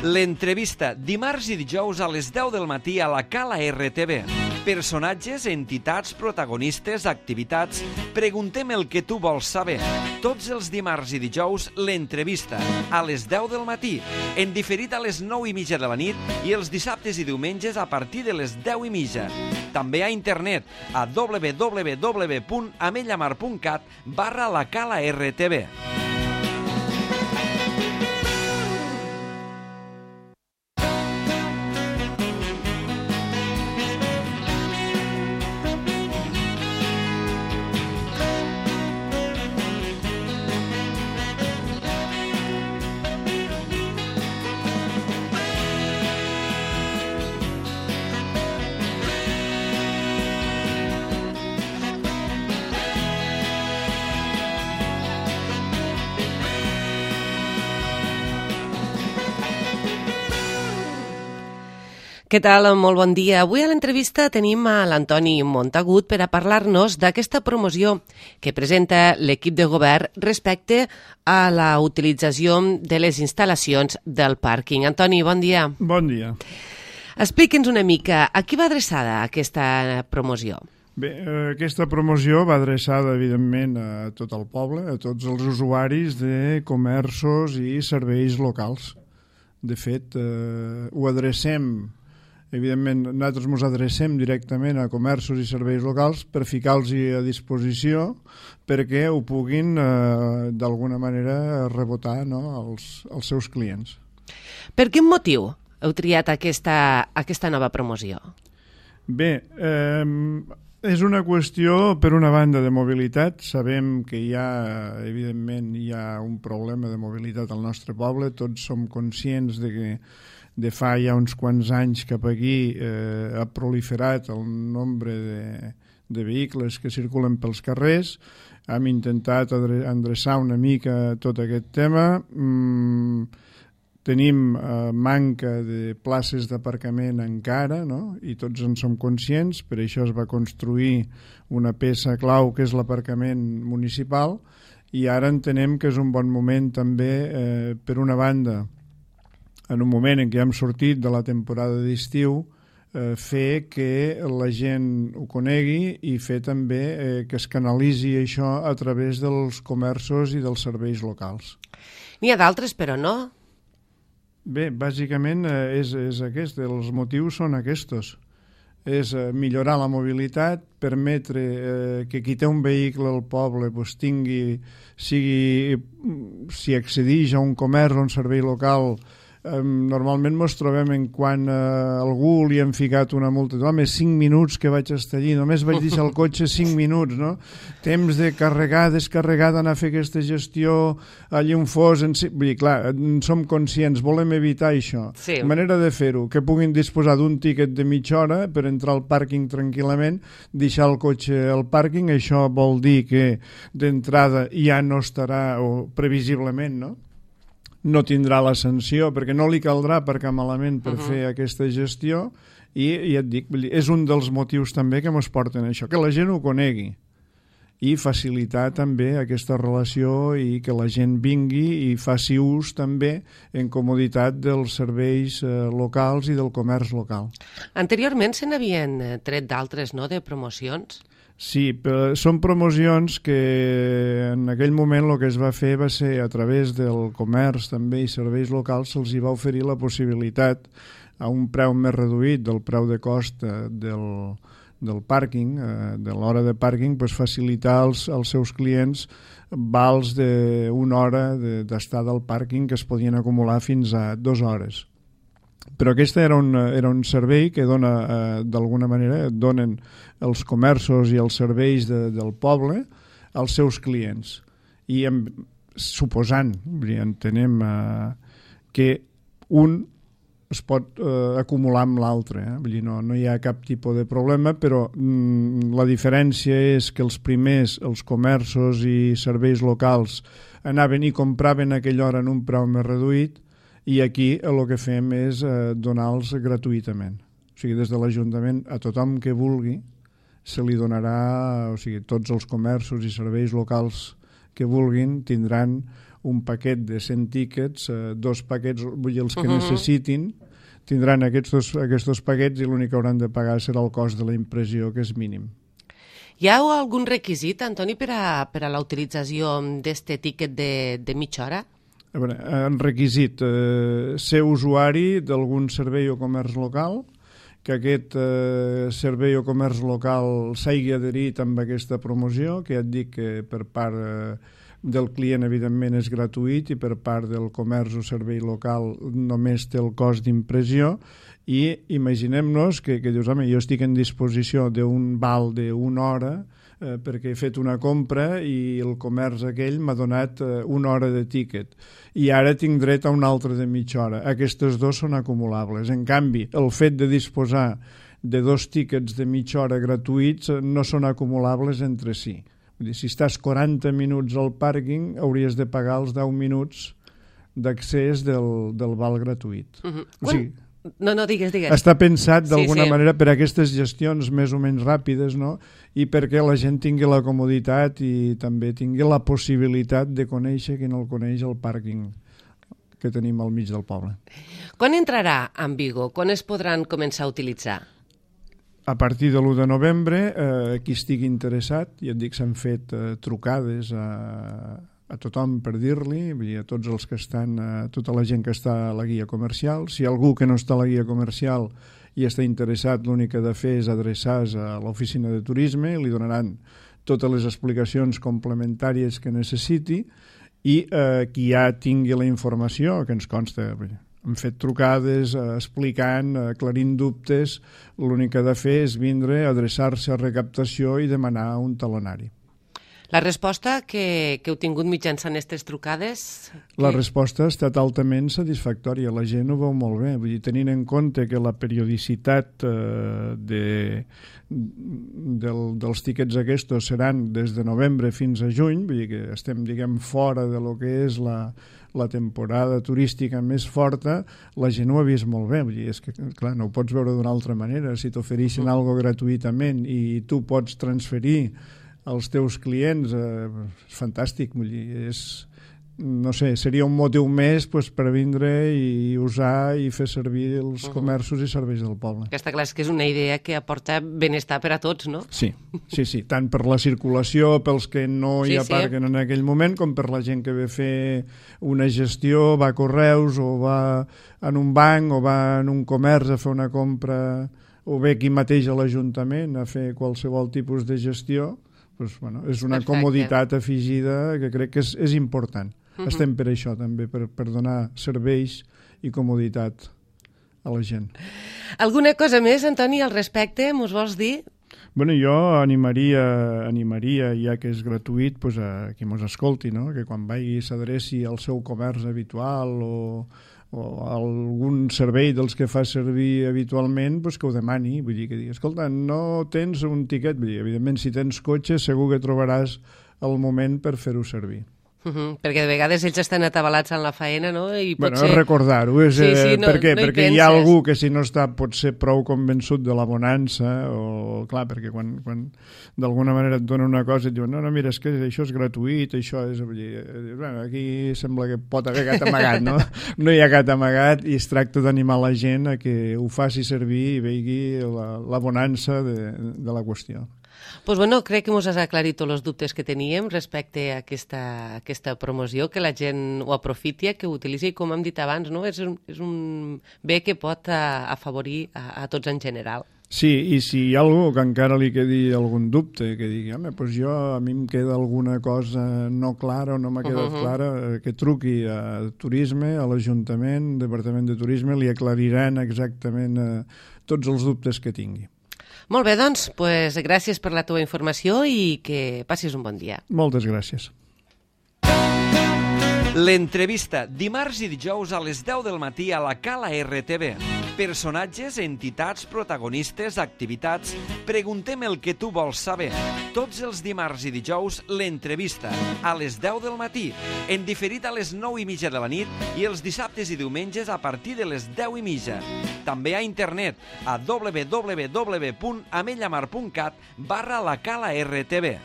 L'entrevista, dimarts i dijous a les 10 del matí a la Cala RTV. Personatges, entitats, protagonistes, activitats... Preguntem el que tu vols saber. Tots els dimarts i dijous, l'entrevista, a les 10 del matí, en diferit a les 9:30 de la nit i els dissabtes i diumenges a partir de les 10:30. També a internet a www.amellamar.cat/la Cala RTV. Què tal? Molt bon dia. Avui a l'entrevista tenim a l'Antoni Montagut per a parlar-nos d'aquesta promoció que presenta l'equip de govern respecte a la utilització de les instal·lacions del pàrquing. Antoni, bon dia. Bon dia. Explica'ns una mica a qui va adreçada aquesta promoció. Bé, aquesta promoció va adreçada, evidentment, a tot el poble, a tots els usuaris de comerços i serveis locals. De fet, ho adrecem... Evidentment, nosaltres ens adrecem directament a comerços i serveis locals per ficar-los a disposició perquè ho puguin, d'alguna manera, rebotar, no, als seus clients. Per quin motiu heu triat aquesta nova promoció? Bé, és una qüestió, per una banda, de mobilitat. Sabem que evidentment, hi ha un problema de mobilitat al nostre poble. Tots som conscients de que de fa ja uns quants anys cap aquí ha proliferat el nombre de vehicles que circulen pels carrers. Hem intentat endreçar una mica tot aquest tema. Tenim manca de places d'aparcament encara, no? I tots en som conscients. Per això es va construir una peça clau que és l'aparcament municipal i ara entenem que és un bon moment també, per una banda, en un moment en què hem sortit de la temporada d'estiu, fer que la gent ho conegui i fer també que es canalitzi això a través dels comerços i dels serveis locals. N'hi ha d'altres, però no? Bé, bàsicament és aquest, els motius són aquests. És millorar la mobilitat, permetre que qui té un vehicle al poble si accedeix a un comerç o un servei local. Normalment ens trobem en quan a algú li han ficat una multa. Home, 5 minuts que vaig estar allí, només vaig deixar el cotxe 5 minuts, no? Temps de carregar, descarregar, d'anar a fer aquesta gestió allí on fos. Vull dir, clar, som conscients, volem evitar això. Sí. Manera de fer-ho, que puguin disposar d'un tiquet de mitja hora per entrar al pàrquing tranquil·lament, deixar el cotxe al pàrquing. Això vol dir que d'entrada ja no estarà, o previsiblement, no tindrà la sanció, perquè no li caldrà aparcar malament per fer aquesta gestió, i ja et dic, és un dels motius també que ens porten a això, que la gent ho conegui i facilitar també aquesta relació i que la gent vingui i faci ús també en comoditat dels serveis locals i del comerç local. Anteriorment se n'havien tret d'altres, no?, de promocions? Sí, però són promocions que en aquell moment el que es va fer va ser a través del comerç també i serveis locals se'ls hi va oferir la possibilitat a un preu més reduït del preu de cost del pàrquing, de l'hora de pàrquing, facilitar als seus clients vals d'una hora d'estada al pàrquing que es podien acumular fins a 2 hores. Però aquest era un servei que dona, d'alguna manera, donen els comerços i els serveis del poble als seus clients. I suposant, entenem que un es pot acumular amb l'altre. Vull dir, no hi ha cap tipus de problema, però la diferència és que els primers, els comerços i serveis locals anaven i compraven a aquella hora en un preu més reduït, i aquí el que fem és donar-los gratuïtament. O sigui, des de l'Ajuntament a tothom que vulgui se li donarà, o sigui, tots els comerços i serveis locals que vulguin tindran un paquet de 100 tíquets, 2 paquets, vull dir, els que necessitin, tindran aquests dos paquets i l'únic que hauran de pagar serà el cost de la impressió, que és mínim. Hi ha algun requisit, Antoni, per a la utilització d'este tíquet de mitja hora? A veure, en requisit, ser usuari d'algun servei o comerç local, que aquest servei o comerç local s'hagi adherit amb aquesta promoció, que ja et dic que per part del client evidentment és gratuït i per part del comerç o servei local només té el cost d'impressió, i imaginem-nos que dius, home, jo estic en disposició d'un val d'una hora perquè he fet una compra i el comerç aquell m'ha donat una hora de tíquet i ara tinc dret a una altra de mitja hora. Aquestes dos són acumulables. En canvi, el fet de disposar de 2 tíquets de mitja hora gratuïts no són acumulables entre si. Vull dir, si estàs 40 minuts al pàrquing, hauries de pagar els 10 minuts d'accés del val gratuït. O sigui, no, digues. està pensat d'alguna manera per a aquestes gestions més o menys ràpides, no? I perquè la gent tingui la comoditat i també tingui la possibilitat de conèixer qui no el coneix el pàrquing que tenim al mig del poble. Quan entrarà en vigor? Quan es podran començar a utilitzar? A partir de l'1 de novembre, qui estigui interessat, ja et dic, s'han fet trucades a tothom per dir-li, a tots els que estan, a tota la gent que està a la guia comercial. Si algú que no està a la guia comercial i està interessat, l'únic que ha de fer és adreçar-se a l'oficina de turisme, li donaran totes les explicacions complementàries que necessiti i qui ja tingui la informació, que ens consta, hem fet trucades explicant, aclarint dubtes, l'únic que ha de fer és vindre, adreçar-se a recaptació i demanar un talonari. La resposta que heu tingut mitjançant aquestes trucades? La resposta ha estat altament satisfactòria, la gent ho veu molt bé, vull dir, tenint en compte que la periodicitat dels tíquets aquests seran des de novembre fins a juny, vull dir que estem, diguem, fora de lo que és la temporada turística més forta, la gent ho ha vist molt bé, vull dir, és que, clar, no ho pots veure d'una altra manera, si t'ofereixen alguna cosa gratuïtament i tu pots transferir als teus clients, és fantàstic, vull dir, no sé, seria un motiu més per vindre i usar i fer servir els comerços i serveis del poble. Està clar, que és una idea que aporta benestar per a tots, no? Sí, tant per la circulació, pels que no hi aparquen en aquell moment, com per la gent que ve a fer una gestió, va a correus o va en un banc o va en un comerç a fer una compra o ve aquí mateix a l'Ajuntament a fer qualsevol tipus de gestió. Doncs, bueno, és una comoditat afegida que crec que és important. Estem per això també, per donar serveis i comoditat a la gent. Alguna cosa més, Antoni, al respecte, mos vols dir? Bueno, jo animaria, ja que és gratuït, pues, a qui mos escolti, no? Que quan vagi s'adreci al seu comerç habitual o algun servei dels que fa servir habitualment, pues que ho demani, vull dir, que digui, escolta, no tens un tiquet, vull dir, evidentment si tens cotxe segur que trobaràs el moment per fer-ho servir. Perquè de vegades ells estan atabalats en la faena, no? I bueno, és recordar-ho, per què? Perquè hi ha algú que si no està potser prou convençut de la bonança, o clar, perquè quan d'alguna manera et donen una cosa i et diuen, no, mira, és que això és gratuït, això és... Bueno, aquí sembla que pot haver gat amagat, no? No hi ha gat amagat i es tracta d'animar la gent a que ho faci servir i vegi la bonança de la qüestió. Pues bueno, crec que ens has aclarit tots els dubtes que teníem respecte a aquesta promoció, que la gent ho aprofiti, que ho utilitzi, com hem dit abans, no? És un bé que pot afavorir a tots en general. Sí, i si hi ha algú que encara li quedi algun dubte, que digui, home, doncs a mi em queda alguna cosa no clara o no m'ha quedat clara, que truqui a Turisme, a l'Ajuntament, Departament de Turisme, li aclariran exactament tots els dubtes que tingui. Molt bé, doncs, gràcies per la teva informació i que passis un bon dia. Moltes gràcies. L'entrevista, dimarts i dijous a les 10 del matí a la Cala RTV. Personatges, entitats, protagonistes, activitats... Preguntem el que tu vols saber. Tots els dimarts i dijous, l'entrevista, a les 10 del matí, en diferit a les 9:30 de la nit i els dissabtes i diumenges a partir de les 10:30. També a internet, a www.amellamar.cat/la Cala RTV.